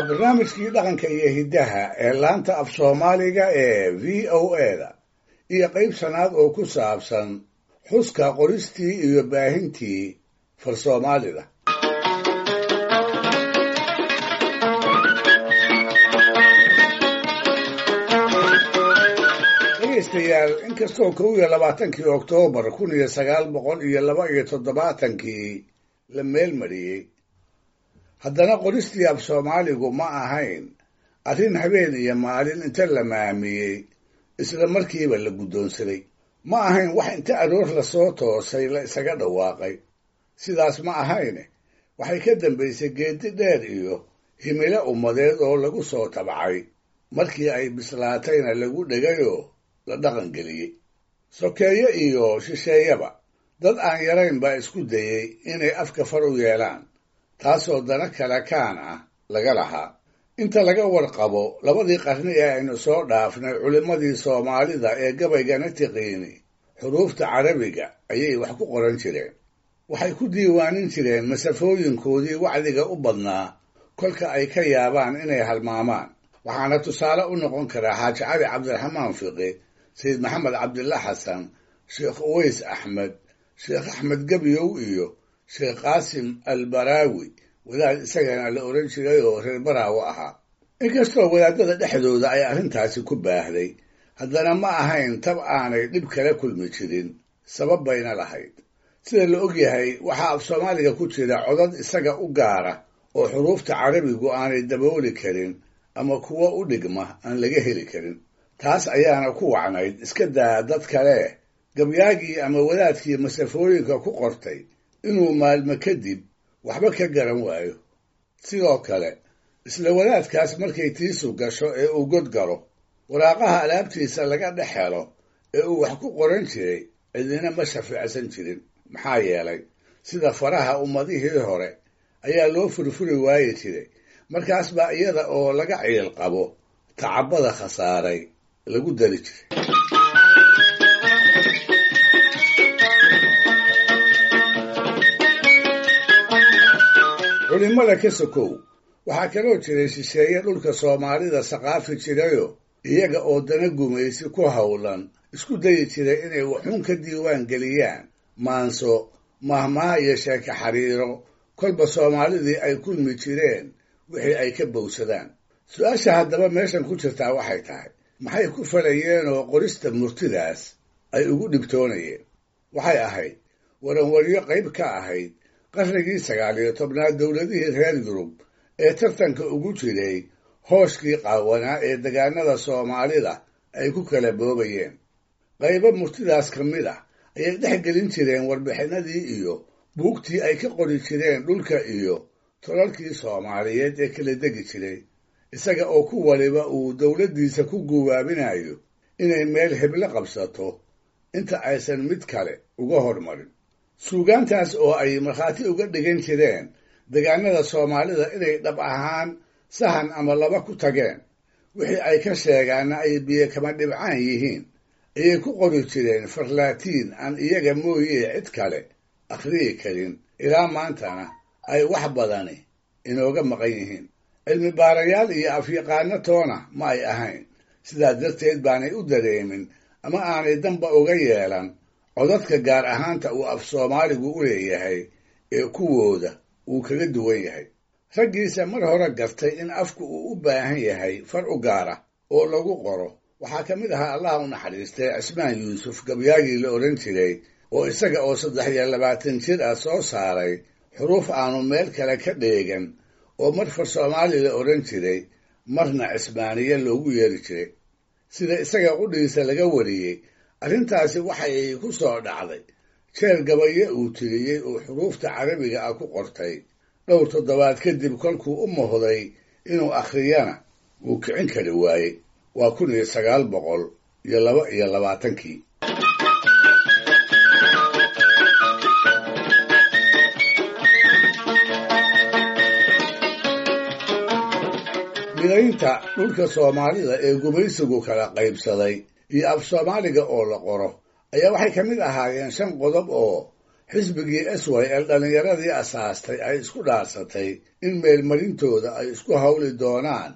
Waa barnaamijkii dhaqanka iyo hiddaha ee laanta af Soomaaliga ee VOA-da iyo qayb shanaad oo ku saabsan xuska qoristii iyo baahintii far Soomaalida. Dhegaystayaal, inkastoo 21-kii Oktoobar 1972-kii la meelmariyey, haddana qoristii af Soomaaligu ma ahayn arrin habeen iyo maalin inta la maamiyey isla markiiba la guddoonsaday. Ma ahayn wax inta aroor lasoo toosay la isaga dhawaaqay. Sidaas ma ahayne, waxay ka dambaysay geedi dheer iyo himilo ummadeed oo lagu soo tabcay, markii ay bislaatayna lagu dhegayoo la dhaqangeliyey. Sokeeye iyo shisheeyaba dad aan yarayn baa isku dayey inay afka far u yeelaan, taasoo dana kale kaan ah laga lahaa. Inta laga warqabo labadii qarni ee aynu soo dhaafnay, culimmadii Soomaalida ee gabaygana tiqiini xuruufta Carabiga ayay wax ku qoran jireen. Waxay ku diiwaanin jireen masafooyinkoodii wacdiga u badnaa kolka ay ka yaabaan inay halmaamaan. Waxaana tusaale u noqon karaa Xaaji Cali Cabdiraxmaan Fiqi, Sayid Maxamed Cabdilla Xasan, Sheekh Uways Axmed, Sheekh Axmed Gebyow iyo Sheekh Qaasim Albaraawi, wadaad isagana la odhan jiray oo reer Baraawo ahaa. Inkastoo wadaadada dhexdooda ay arrintaasi ku baahday, haddana ma ahayn tab aanay dhib kala kulmi jirin, sabab bayna lahayd. Sida la og yahay, waxaa af Soomaaliga ku jira codad isaga u gaara oo xuruufta Carabigu aanay dabooli karin ama kuwo u dhigma aan laga heli karin. Taas ayaana ku wacnayd iska daa dad kale gabyaagii ama wadaadkii masafooyinka ku qortay inuu maalmo kadib waxba ka garan waayo. Sidoo kale, isla wadaadkaas markay tiisu gasho ee uu god galo, waraaqaha alaabtiisa laga dhex helo ee uu wax ku qoran jiray cidina ma shafiicsan jirin. Maxaa yeelay, sida faraha ummadihii hore ayaa loo furfuri waayi jiray, markaas baa iyada oo laga ciil qabo tacabada khasaaray lagu dari jiray. Culimada ka sokow, waxaa kaloo jiray shisheeye dhulka Soomaalida saqaafi jirayoo iyaga oo dana gumaysi ku howlan isku dayi jiray inay waxuun ka diiwaan geliyaan maanso, mahmaha iyo sheeke xariiro kolba Soomaalidii ay kulmi jireen wixii ay ka bowsadaan. Su-aasha haddaba meeshan ku jirtaa waxay tahay, maxay ku falayeenoo qorista murtidaas ay ugu dhibtoonayeen? Waxay ahayd waranwaryo qayb ka ahayd qarnigii 19aad dowladihii reer Yurub ee tartanka ugu jiray hooshkii qaawanaa ee degaanada Soomaalida ay ku kala boobayeen. Qaybo murtidaas ka mid ah ayay dhex gelin jireen warbixinadii iyo buugtii ay ka qori jireen dhulka iyo tolalkii Soomaaliyeed ee kala degi jiray, isaga oo ku waliba uu dowladdiisa ku guwaabinayo inay meel heblo qabsato inta aysan mid kale uga hormarin. Suugaantaas oo ay markhaati uga dhigan jireen degaanada Soomaalida inay dhab ahaan sahan ama laba ku tageen, wixii ay ka sheegaanna ay biyo kama dhibcaan yihiin, ayay ku qori jireen farlaatiin aan iyaga mooyee cid kale akhriyi karin, ilaa maantana ay wax badani inooga maqan yihiin. Cilmi baarayaal iyo afyaqaano toona ma ay ahayn, sidaa darteed baanay u dareemin ama aanay danba uga yeelan codadka gaar ahaanta uu af Soomaaligu u leeyahay ee kuwooda uu kaga duwan yahay. Raggiisa mar hore gartay in afku uu u baahan yahay far u gaara oo lagu qoro waxaa ka mid ahaa, Allah u naxariistay, Cismaan Yuusuf, gabyaagii la odhan jiray, oo isaga oo 23 jir ah soo saaray xuruuf aanu meel kale ka dheegan oo mar far Soomaali la odhan jiray, marna Cismaaniye loogu yeeri jiray. Sida isaga qudhiisa laga wariyey, arrintaasi waxay ku soo dhacday jeer gabaye uu tiriyey oo xuruufta Carabiga ah ku qortay. Dhowr toddobaad kadib kolkuu u mohday inuu akhriyana wuu kicin kari waayey. Waa 1922-kii. Midaynta dhulka Soomaalida ee gumaysigu kala qaybsaday iyo af Soomaaliga oo la qoro ayaa waxay ka mid ahaayeen shan qodob oo Xisbigii SYL dhallinyaradii asaastay ay isku dhaarsatay in meelmarintooda ay isku hawli doonaan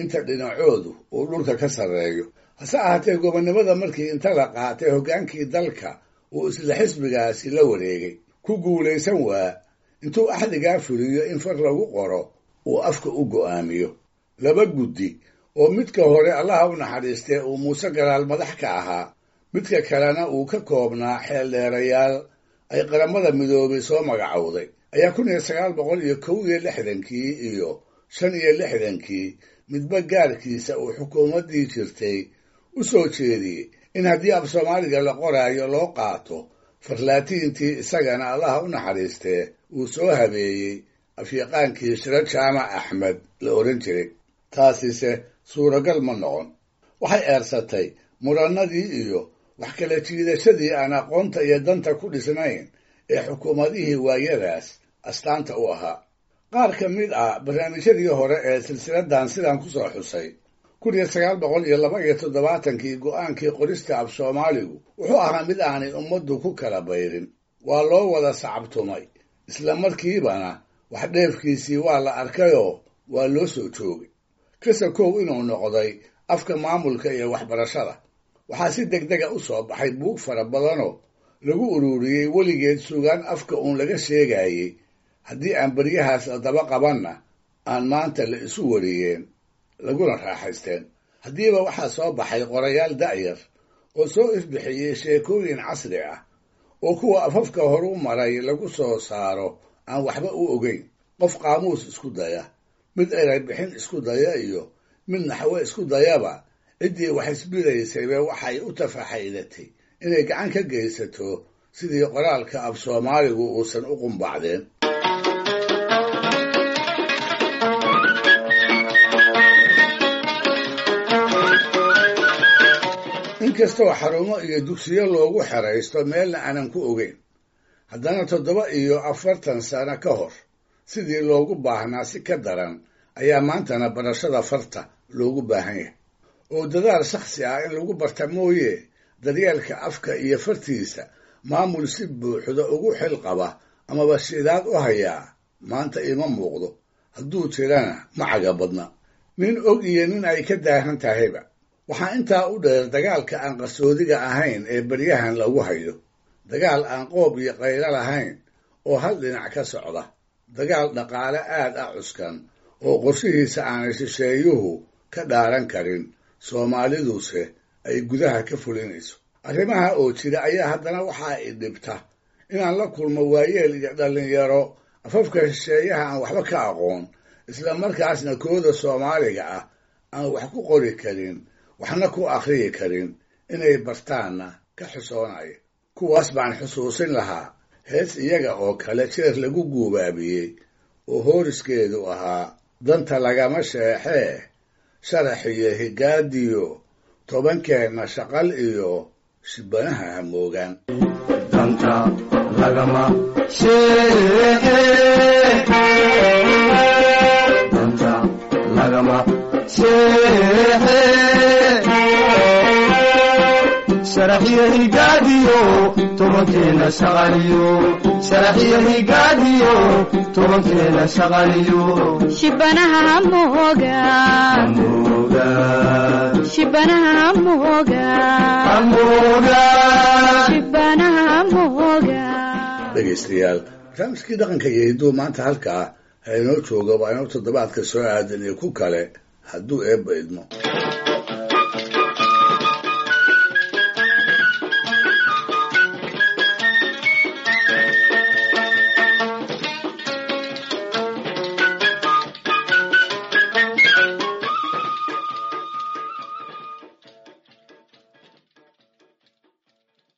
inta dhinacoodu uu dhulka ka sarreeyo. Hase ahaatee gobonnimada markii inta la qaatay hoggaankii dalka uu isla xisbigaasi la wareegay, ku guulaysan waa intuu axdigaa fuliyo in far lagu qoro uu afka u go'aamiyo. Laba guddi oo midka hore Allaha u naxariistee uu Muuse Galaal madax ka ahaa, midka kalena uu ka koobnaa xeeldheerayaal ay Qaramada Midoobay soo magacowday, ayaa 1961-kii iyo 65-kii midba gaarkiisa uu xukuumaddii jirtay u soo jeediyey in haddii af Soomaaliga la qoraayo loo qaato farlaatiintii isagana Allaha u naxariistee uu soo habeeyey afyaqaankii Shiro Jaamac Axmed la odhan jiray. Taasise suuragal ma noqon. Waxay eersatay murannadii iyo wax kala jiidashadii aan aqoonta iyo danta ku dhisnayn ee xukuumadihii waayadaas astaanta u ahaa. Qaar ka mid ah barnaamijyadii hore ee silsiladan sidaan ku soo xusay, 1972-kii go'aankii qorista af Soomaaligu wuxuu ahaa mid aanay ummaddu ku kala bayrin. Waa loo wada sacabtumay, isla markiibana wax dheefkiisii waa la arkayoo waa loo soo joogay. Kasa kow inuu noqday afka maamulka iyo waxbarashada. Waxaa si degdega u soo baxay buug fara badanoo lagu ururiyey weligeed sugaan afka uun laga sheegayey, haddii aan beryahaas la daba qabanna aan maanta la isu wariyeen laguna raaxaysteen. Haddiiba waxaa soo baxay qorayaal da'yar oo soo ifbixiyey sheekooyin casri ah oo kuwa afafka horu maray lagu soo saaro aan waxba u ogeyn. Qof qaamuus isku daya, mid eray bixin isku daya iyo mid naxwe isku dayaba, ciddii wax isbidaysayba waxay u tafaxaydatay inay gacan ka geysato sidii qoraalka af Soomaaligu uusan u qumbacdeen. Inkastoo xarumo iyo dugsiyo loogu xeraysto meelna aanan ku ogeyn, haddana 47 sano ka hor sidii loogu baahnaa si ka daran ayaa maantana barashada farta loogu baahan yahay. Oo dadaal shakhsi ah in lagu barta mooye, daryeelka afka iyo fartiisa maamul si buuxda ugu xil qaba amaba shidaad u hayaa maanta ima muuqdo, hadduu jirana ma caga badna. Nin og iyo nin ay ka daahan tahayba. Waxaa intaa u dheer dagaalka aan qarsoodiga ahayn ee beryahan lagu hayo, dagaal aan qoob iyo qaylo lahayn oo hal dhinac ka socda, dagaal dhaqaale aad ah cuskan oo qorshihiisa aanay shisheeyuhu ka dhaaran karin, Soomaaliduse ay gudaha ka fulinayso. Arrimaha oo jira ayaa haddana waxaa i dhibta inaan la kulmo waayeel iyo dhallinyaro afafka shisheeyaha aan waxba ka aqoon, isla markaasna kooda Soomaaliga ah aan wax ku qori karin, waxna ku akhriyi karin, inay bartaanna ka xusoonaya. Kuwaas baan xusuusin lahaa hees iyaga oo kale jeer lagu guubaabiyey oo hooriskeedu ahaa: danta lagama sheexee, sharax iyo higaadiyo, tobankeenna shaqal iyo shibanaha hamoogaan. Danta lagama sheexe, danta lagama sheexe, sharaxyo higaadiyo tobankeena shaqaliyo, sharaxyo higaadiyo tobankeena shaqaliyo, shibanaha hamoga, hamoga, shibanaha hamoga, hamoga, shibanaha hamoga. Dhegaystayaal, barnaamijkii dhaqanka iyo hidduu maanta halkaa ha inoo jooga. Waa inoo toddobaadka soo aadan iyo ku kale hadduu Eebba idmo.